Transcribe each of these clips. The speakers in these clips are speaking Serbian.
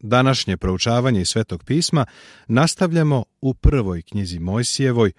Današnje proučavanje iz Svetog pisma nastavljamo u prvoj knjizi Mojsijevoj,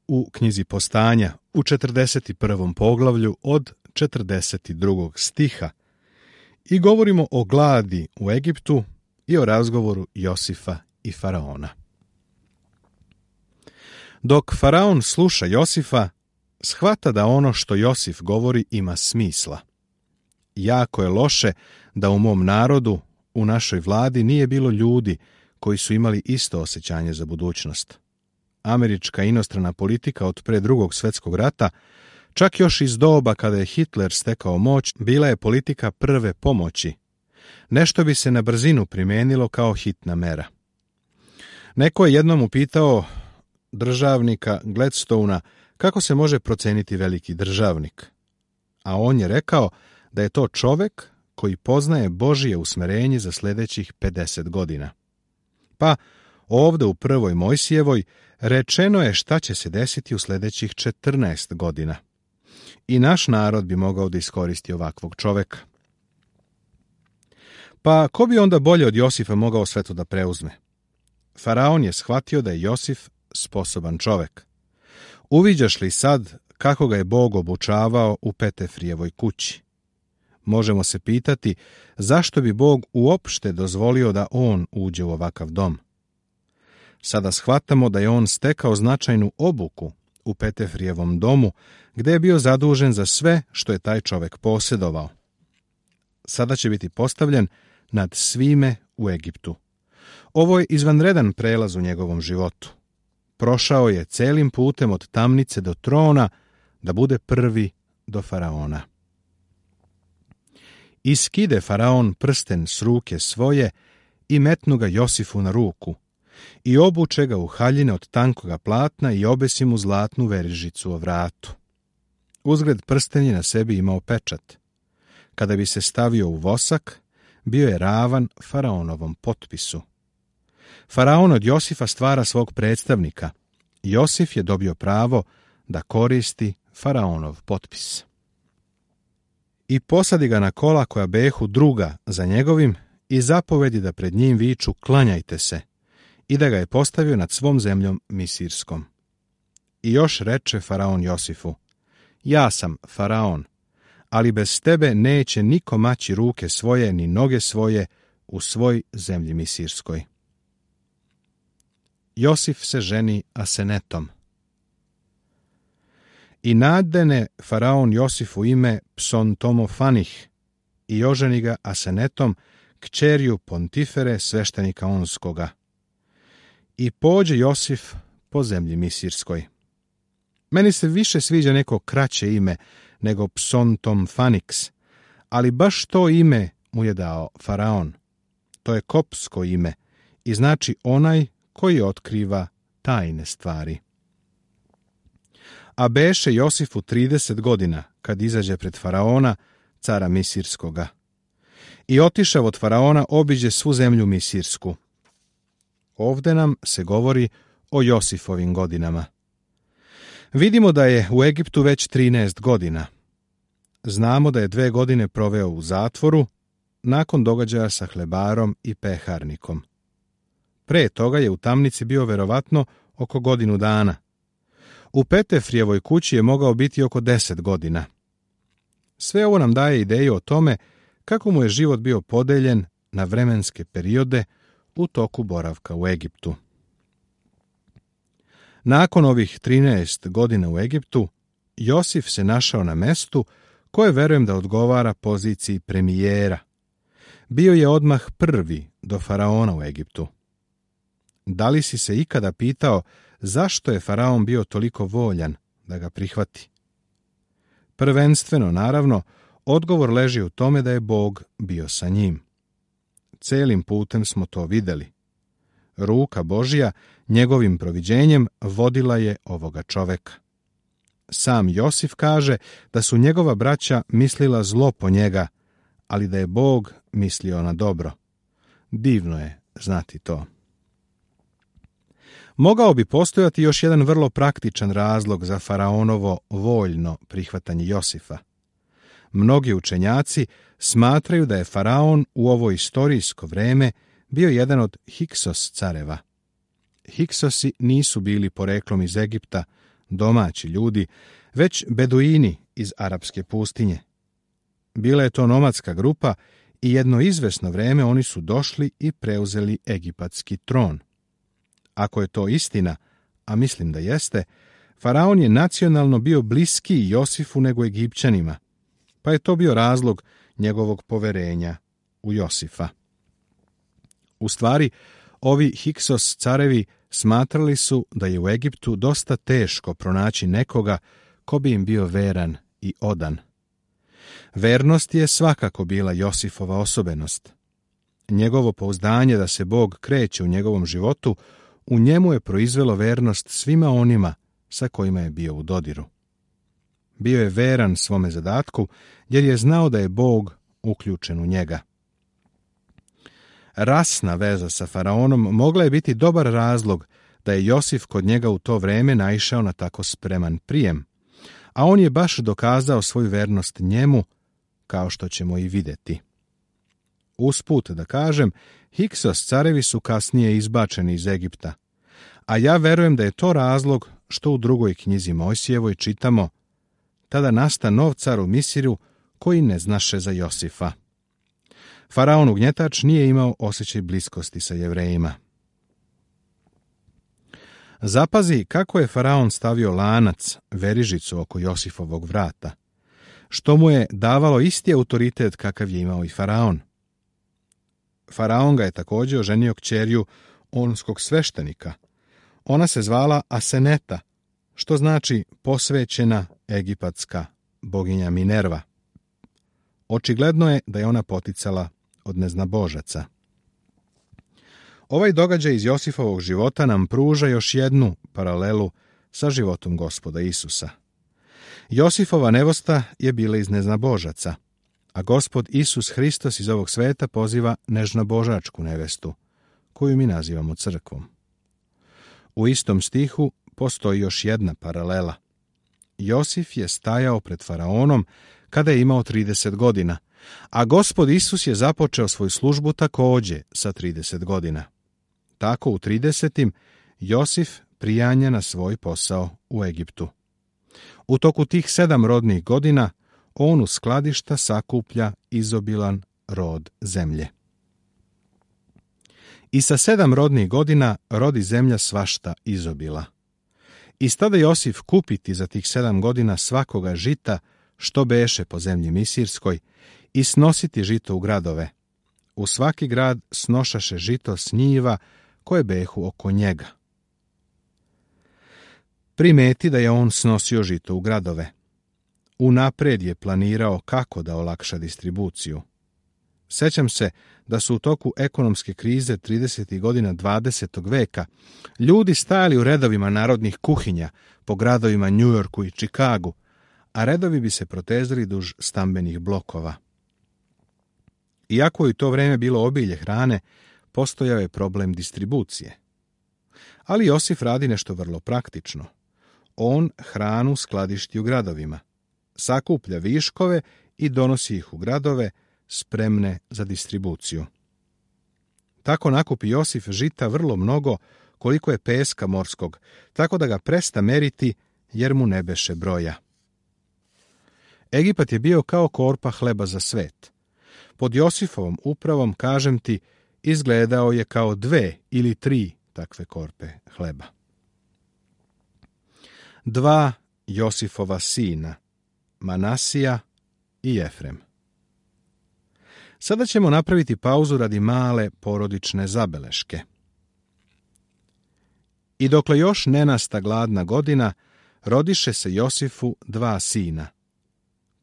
u knjizi Postanja, u 41. poglavlju od 42. stiha i govorimo o gladi u Egiptu i o razgovoru Josifa i Faraona. Dok Faraon sluša Josifa, shvata da ono što Josif govori ima smisla. Jako je loše da u mom narodu, u našoj vladi, nije bilo ljudi koji su imali isto osjećanje za budućnost. Američka inostrana politika od pre Drugog svjetskog rata, čak još iz doba kada je Hitler stekao moć, bila je politika prve pomoći. Nešto bi se na brzinu primijenilo kao hitna mera. Neko je jednom upitao državnika Gladstona kako se može proceniti veliki državnik. A on je rekao da je to čovek koji poznaje Božije usmerenje za sljedećih 50 godina. Pa ovde u prvoj Mojsijevoj rečeno je šta će se desiti u sljedećih 14 godina. I naš narod bi mogao da iskoristi ovakvog čoveka. Pa ko bi onda bolje od Josifa mogao sve to da preuzme? Faraon je shvatio da je Josif sposoban čovek. Uviđaš li sad kako ga je Bog obučavao u Petefrijevoj kući? Možemo se pitati zašto bi Bog uopšte dozvolio da on uđe u ovakav dom. Sada shvatamo da je on stekao značajnu obuku u Petefrijevom domu, gde je bio zadužen za sve što je taj čovek posjedovao. Sada će biti postavljen nad svime u Egiptu. Ovo je izvanredan prelaz u njegovom životu. Prošao je celim putem od tamnice do trona da bude prvi do Faraona. Iskide Faraon prsten s ruke svoje i metnu ga Josifu na ruku i obuče ga u haljine od tankoga platna i obesi mu zlatnu verižicu o vratu. Uzgred prsten je na sebi imao pečat. Kada bi se stavio u vosak, bio je ravan Faraonovom potpisu. Faraon od Josifa stvara svog predstavnika. Josif je dobio pravo da koristi Faraonov potpis. I posadi ga na kola koja behu druga za njegovim i zapovedi da pred njim viču klanjajte se i da ga je postavio nad svom zemljom Misirskom. I još reče Faraon Josifu, ja sam Faraon, ali bez tebe neće niko maći ruke svoje ni noge svoje u svoj zemlji Misirskoj. Josif se ženi Asenetom. I nadene Faraon Josifu ime Psontomofanih i oženi ga Asenetom, kćerju Pontifere, sveštenika Onskoga. I pođe Josif po zemlji Misirskoj. Meni se više sviđa neko kraće ime nego Psontomfaniks, ali baš to ime mu je dao Faraon. To je kopsko ime i znači onaj koji otkriva tajne stvari. A beše Josifu 30 godina kad izađe pred Faraona, cara Misirskoga. I otišav od Faraona obiđe svu zemlju Misirsku. Ovde nam se govori o Josifovim godinama. Vidimo da je u Egiptu već 13 godina. Znamo da je 2 godine proveo u zatvoru, nakon događaja sa hlebarom i peharnikom. Pre toga je u tamnici bio verovatno oko godinu dana. U Petefrijevoj kući je mogao biti oko 10 godina. Sve ovo nam daje ideju o tome kako mu je život bio podeljen na vremenske periode u toku boravka u Egiptu. Nakon ovih 13 godina u Egiptu, Josif se našao na mestu koje verujem da odgovara poziciji premijera. Bio je odmah prvi do Faraona u Egiptu. Da li si se ikada pitao zašto je Faraon bio toliko voljan da ga prihvati? Prvenstveno, naravno, odgovor leži u tome da je Bog bio sa njim. Celim putem smo to videli. Ruka Božja njegovim proviđenjem vodila je ovoga čoveka. Sam Josif kaže da su njegova braća mislila zlo po njega, ali da je Bog mislio na dobro. Divno je znati to. Mogao bi postojati još jedan vrlo praktičan razlog za Faraonovo voljno prihvatanje Josifa. Mnogi učenjaci smatraju da je Faraon u ovo istorijsko vreme bio jedan od Hiksos careva. Hiksosi nisu bili poreklom iz Egipta, domaći ljudi, već beduini iz arapske pustinje. Bila je to nomadska grupa i jedno izvesno vreme oni su došli i preuzeli egipatski tron. Ako je to istina, a mislim da jeste, faraon je nacionalno bio bliskiji Josifu nego Egipćanima, pa je to bio razlog njegovog poverenja u Josifa. U stvari, ovi Hiksos carevi smatrali su da je u Egiptu dosta teško pronaći nekoga ko bi im bio veran i odan. Vernost je svakako bila Josifova osobenost. Njegovo pouzdanje da se Bog kreće u njegovom životu, u njemu je proizvelo vernost svima onima sa kojima je bio u dodiru. Bio je veran svome zadatku, jer je znao da je Bog uključen u njega. Rasna veza sa faraonom mogla je biti dobar razlog da je Josif kod njega u to vreme naišao na tako spreman prijem, a on je baš dokazao svoju vernost njemu, kao što ćemo i vidjeti. Usput da kažem, Hiksos carevi su kasnije izbačeni iz Egipta, a ja verujem da je to razlog što u drugoj knjizi Mojsijevoj čitamo: tada nasta nov car u Misiru koji ne znaše za Josifa. Faraon ugnjetač nije imao osjećaj bliskosti sa Jevrejima. Zapazi kako je faraon stavio lanac, verižicu oko Josifovog vrata, što mu je davalo isti autoritet kakav je imao i faraon. Faraon ga je također oženio kćerju onskog sveštenika. Ona se zvala Aseneta, što znači posvećena egipatska boginja Minerva. Očigledno je da je ona poticala od neznabožaca. Ovaj događaj iz Josifovog života nam pruža još jednu paralelu sa životom Gospoda Isusa. Josifova nevosta je bila iz neznabožaca, a Gospod Isus Hristos iz ovog sveta poziva nežnabožačku nevestu, koju mi nazivamo crkvom. U istom stihu postoji još jedna paralela. Josif je stajao pred faraonom kada je imao 30 godina, a Gospod Isus je započeo svoju službu također sa 30 godina. Tako u 30. Josif prijanja na svoj posao u Egiptu. U toku tih 7 rodnih godina on u skladišta sakuplja izobilan rod zemlje. I sa 7 rodnih godina rodi zemlja svašta izobila. I stada Josif kupiti za tih 7 godina svakoga žita što beše po zemlji Misirskoj i snositi žito u gradove. U svaki grad snošaše žito s njiva koje behu oko njega. Primeti da je on snosio žito u gradove. Unaprijed je planirao kako da olakša distribuciju. Sećam se da su u toku ekonomske krize 30. godina 20. veka ljudi stajali u redovima narodnih kuhinja po gradovima New Yorku i Chicagu, a redovi bi se protezali duž stambenih blokova. Iako je u to vrijeme bilo obilje hrane, postojao je problem distribucije. Ali Josif radi nešto vrlo praktično. On hranu skladišti u gradovima, sakuplja viškove i donosi ih u gradove spremne za distribuciju. Tako nakupi Josif žita vrlo mnogo, koliko je peska morskog, tako da ga presta meriti jer mu ne beše broja. Egipat je bio kao korpa hleba za svet. Pod Josifovom upravom, kažem ti, izgledao je kao 2 ili 3 takve korpe hleba. 2 Josifova sina, Manasija i Jefrem. Sada ćemo napraviti pauzu radi male porodične zabeleške. I dokle još ne nasta gladna godina, rodiše se Josifu 2 sina,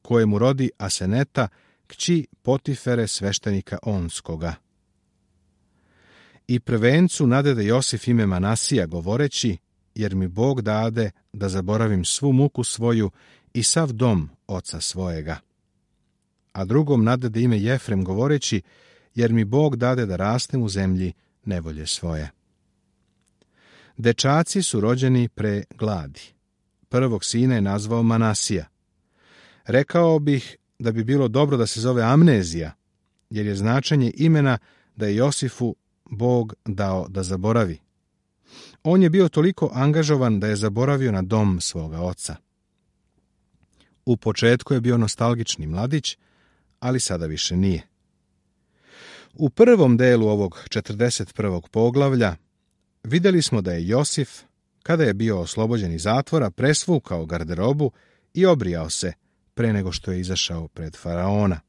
koje mu rodi Aseneta, kći Potifere sveštenika Onskoga. I prvencu nadede Josif ime Manasija, govoreći: jer mi Bog dade da zaboravim svu muku svoju i sav dom oca svojega. A drugom nadede ime Jefrem, govoreći: jer mi Bog dade da rastem u zemlji nevolje svoje. Dečaci su rođeni pre gladi. Prvog sina je nazvao Manasija. Rekao bih da bi bilo dobro da se zove Amnezija, jer je značenje imena da je Josifu Bog dao da zaboravi. On je bio toliko angažovan da je zaboravio na dom svoga oca. U početku je bio nostalgični mladić, ali sada više nije. U prvom delu ovog 41. poglavlja vidjeli smo da je Josif, kada je bio oslobođen iz zatvora, presvukao garderobu i obrijao se pre nego što je izašao pred faraona.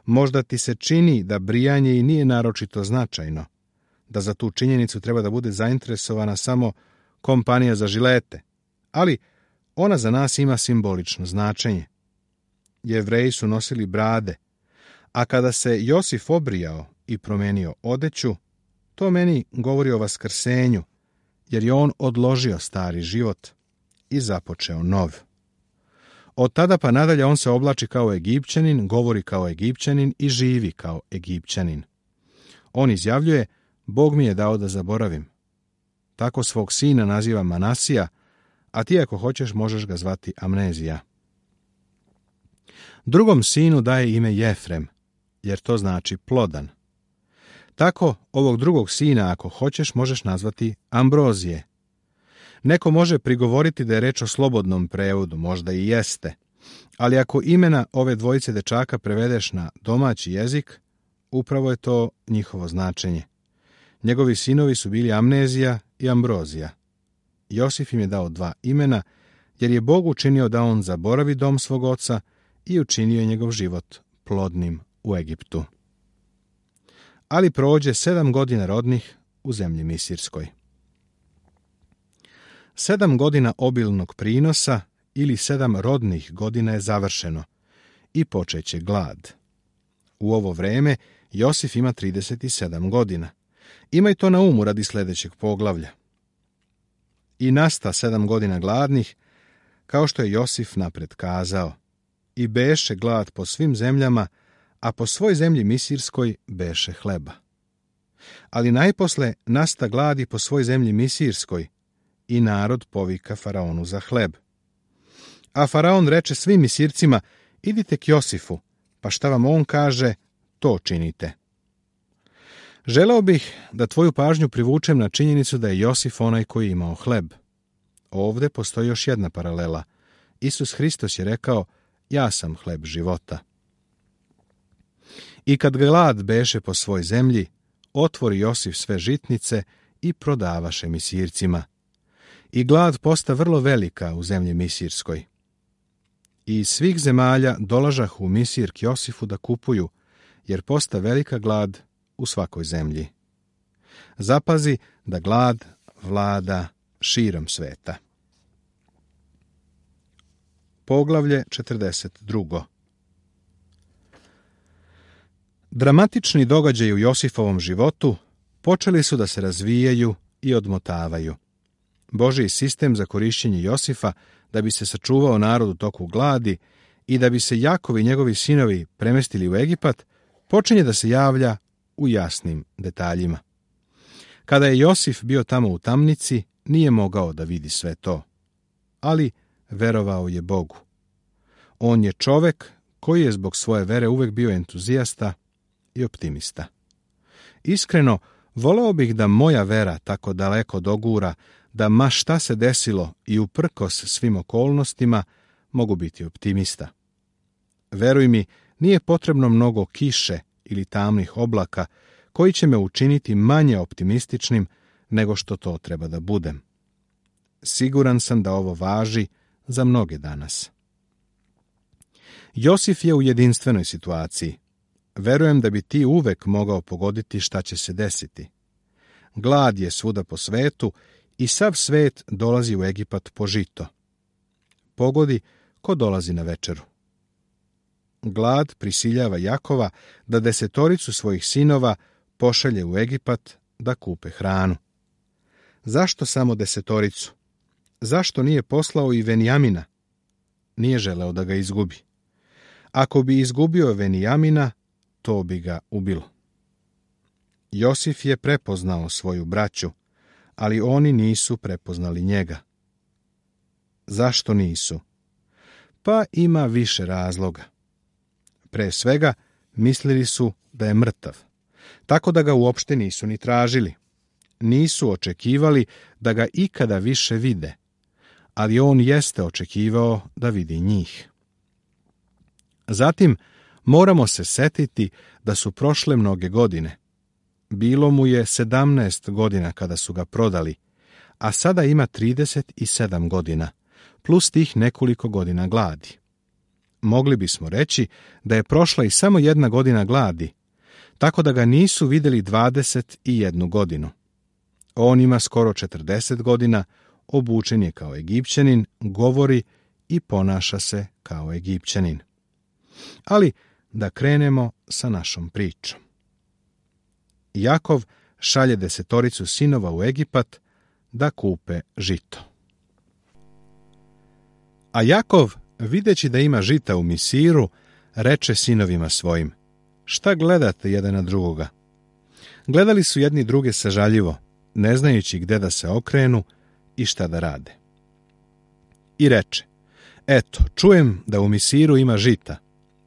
Možda ti se čini da brijanje i nije naročito značajno, da za tu činjenicu treba da bude zainteresovana samo kompanija za žilete, ali ona za nas ima simbolično značenje. Jevreji su nosili brade, a kada se Josif obrijao i promenio odeću, to meni govori o vaskrsenju, jer je on odložio stari život i započeo nov. Od tada pa nadalje on se oblači kao Egipćanin, govori kao Egipćanin i živi kao Egipćanin. On izjavljuje: Bog mi je dao da zaboravim. Tako svog sina naziva Manasija, a ti ako hoćeš možeš ga zvati Amnezija. Drugom sinu daje ime Jefrem, jer to znači plodan. Tako ovog drugog sina ako hoćeš možeš nazvati Ambrozije. Neko može prigovoriti da je reč o slobodnom prevodu, možda i jeste, ali ako imena ove dvojice dečaka prevedeš na domaći jezik, upravo je to njihovo značenje. Njegovi sinovi su bili Amnezija i Ambrozija. Josif im je dao dva imena, jer je Bog učinio da on zaboravi dom svog oca i učinio je njegov život plodnim u Egiptu. Ali prođe 7 godina rodnih u zemlji Misirskoj. 7 godina obilnog prinosa ili 7 rodnih godina je završeno i počeće glad. U ovo vreme Josif ima 37 godina. Imaj to na umu radi sljedećeg poglavlja. I nasta 7 godina gladnih, kao što je Josif napred kazao, i beše glad po svim zemljama, a po svoj zemlji Misirskoj beše hleba. Ali najposle nasta gladi po svoj zemlji Misirskoj i narod povika faraonu za hleb. A faraon reče svim Misircima: idite k Josifu, pa šta vam on kaže, to činite. Želeo bih da tvoju pažnju privučem na činjenicu da je Josif onaj koji je imao hleb. Ovde postoji još jedna paralela. Isus Hristos je rekao: ja sam hleb života. I kad glad beše po svoj zemlji, otvori Josif sve žitnice i prodavaše Misircima. I glad posta vrlo velika u zemlji Misirskoj. I iz svih zemalja dolažah u Misir k Josifu da kupuju, jer posta velika glad u svakoj zemlji. Zapazi da glad vlada širom sveta. Poglavlje 42. Dramatični događaji u Josifovom životu počeli su da se razvijaju i odmotavaju. Božji sistem za korišćenje Josifa da bi se sačuvao narod u toku gladi i da bi se Jakov i njegovi sinovi premestili u Egipat, počinje da se javlja u jasnim detaljima. Kada je Josif bio tamo u tamnici, nije mogao da vidi sve to, ali verovao je Bogu. On je čovek koji je zbog svoje vere uvek bio entuzijasta i optimista. Iskreno, voleo bih da moja vera tako daleko dogura, da ma šta se desilo i uprkos svim okolnostima mogu biti optimista. Veruj mi, nije potrebno mnogo kiše ili tamnih oblaka koji će me učiniti manje optimističnim nego što to treba da budem. Siguran sam da ovo važi za mnoge danas. Josif je u jedinstvenoj situaciji. Verujem da bi ti uvek mogao pogoditi šta će se desiti. Glad je svuda po svetu i sav svet dolazi u Egipat po žito. Pogodi ko dolazi na večeru. Glad prisiljava Jakova da 10 svojih sinova pošalje u Egipat da kupe hranu. Zašto samo 10? Zašto nije poslao i Venijamina? Nije želeo da ga izgubi. Ako bi izgubio Venijamina, to bi ga ubilo. Josif je prepoznao svoju braću, ali oni nisu prepoznali njega. Zašto nisu? Pa ima više razloga. Pre svega, mislili su da je mrtav. tako da ga uopšte nisu ni tražili. Nisu očekivali da ga ikada više vide, ali on jeste očekivao da vidi njih. Zatim, moramo se setiti da su prošle mnoge godine. Bilo mu je 17 godina kada su ga prodali, a sada ima 37 godina, plus tih nekoliko godina gladi. Mogli bismo reći da je prošla i samo 1 godina gladi, tako da ga nisu vidjeli 21 godinu. On ima skoro 40 godina, obučen je kao Egipćanin, govori i ponaša se kao Egipćanin. Ali da krenemo sa našom pričom. Jakov šalje 10 sinova u Egipat da kupe žito. A Jakov, videći da ima žita u Misiru, reče sinovima svojim: šta gledate jedan na drugoga? Gledali su jedni druge sažaljivo, ne znajući gde da se okrenu i šta da rade. I reče: eto, čujem da u Misiru ima žita.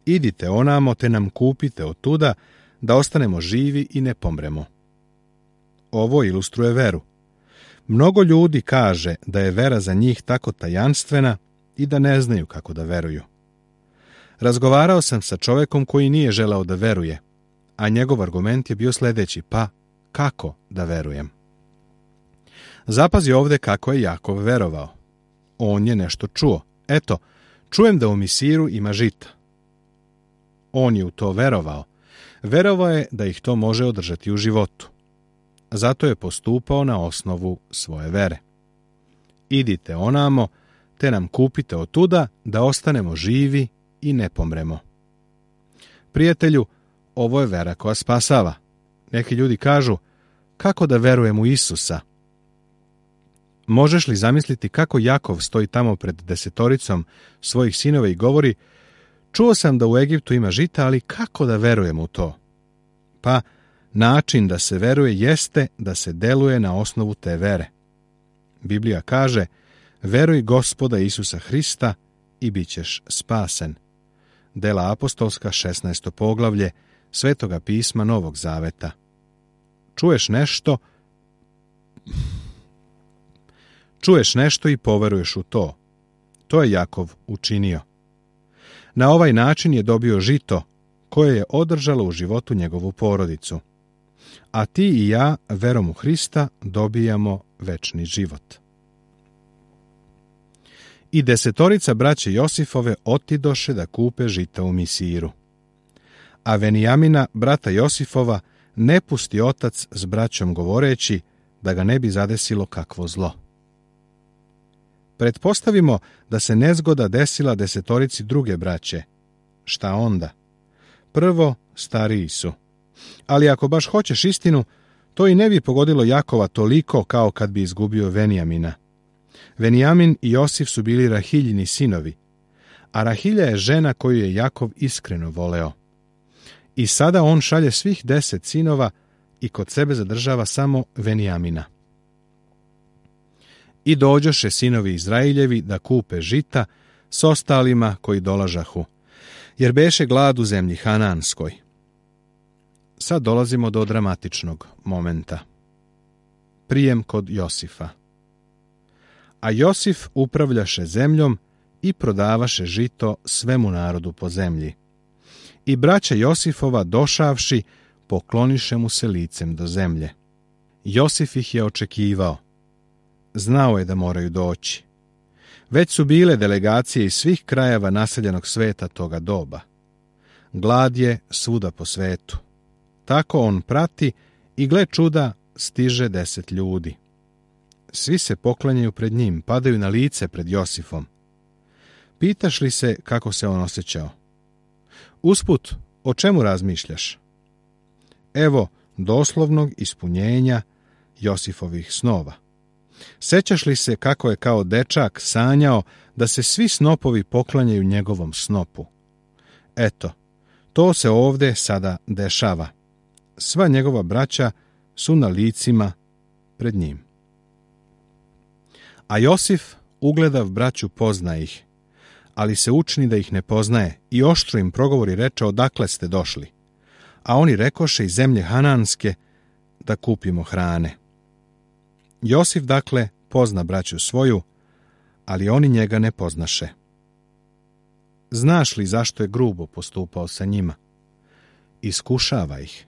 Idite onamo te nam kupite otuda, da ostanemo živi i ne pomremo. Ovo ilustruje veru. Mnogo ljudi kaže da je vera za njih tako tajanstvena i da ne znaju kako da veruju. Razgovarao sam sa čovekom koji nije želeo da veruje, a njegov argument je bio sljedeći: pa kako da verujem? Zapazi ovdje kako je Jakov verovao. On je nešto čuo. Eto, čujem da u Misiru ima žita. On je u to verovao. Verovao je da ih to može održati u životu. Zato je postupao na osnovu svoje vere. Idite onamo, te nam kupite otuda, da ostanemo živi i ne pomremo. Prijatelju, ovo je vera koja spasava. Neki ljudi kažu: kako da verujem u Isusa? Možeš li zamisliti kako Jakov stoji tamo pred 10 svojih sinova i govori: čuo sam da u Egiptu ima žita, ali kako da verujem u to? Pa, način da se veruje jeste da se deluje na osnovu te vere. Biblija kaže: veruj Gospoda Isusa Hrista i bit ćeš spasen. Dela apostolska, 16. poglavlje Svetoga pisma Novog Zaveta. Čuješ nešto i poveruješ u to. To je Jakov učinio. Na ovaj način je dobio žito koje je održalo u životu njegovu porodicu. A ti i ja, verom u Hrista, dobijamo večni život. I 10 braće Josifove otidoše da kupe žita u Misiru. A Venijamina, brata Josifova, ne pusti otac s braćom govoreći da ga ne bi zadesilo kakvo zlo. Pretpostavimo da se nezgoda desila 10 druge braće. Šta onda? Prvo, stariji su. Ali ako baš hoćeš istinu, to i ne bi pogodilo Jakova toliko kao kad bi izgubio Venijamina. Venijamin i Josif su bili Rahiljini sinovi, a Rahilja je žena koju je Jakov iskreno voleo. I sada on šalje svih 10 sinova i kod sebe zadržava samo Venijamina. I dođoše sinovi Izrailjevi da kupe žita s ostalima koji dolažahu, jer beše glad u zemlji Hananskoj. Sad dolazimo do dramatičnog momenta. Prijem kod Josifa. A Josif upravljaše zemljom i prodavaše žito svemu narodu po zemlji. I braća Josifova došavši, pokloniše mu se licem do zemlje. Josif ih je očekivao. Znao je da moraju doći. Već su bile delegacije iz svih krajeva naseljenog sveta toga doba. Glad je svuda po svetu. Tako on prati i gle čuda, stiže 10 ljudi. Svi se poklanjaju pred njim, padaju na lice pred Josifom. Pitaš li se kako se on osjećao? Usput, o čemu razmišljaš? Evo doslovnog ispunjenja Josifovih snova. Sećaš li se kako je kao dečak sanjao da se svi snopovi poklanjaju njegovom snopu? Eto, to se ovdje sada dešava. Sva njegova braća su na licima pred njim. A Josif, ugledav braću, pozna ih, ali se učini da ih ne poznaje i oštro im progovori, reče: odakle ste došli? a oni rekoše iz zemlje Hananske da kupimo hrane. Josif, dakle, pozna braću svoju, ali oni njega ne poznaše. Znaš li zašto je grubo postupao sa njima? Iskušava ih.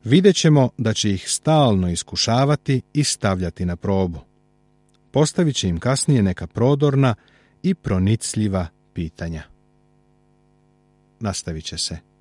Vidjet ćemo da će ih stalno iskušavati i stavljati na probu. Postavit će im kasnije neka prodorna i pronicljiva pitanja. Nastavit će se.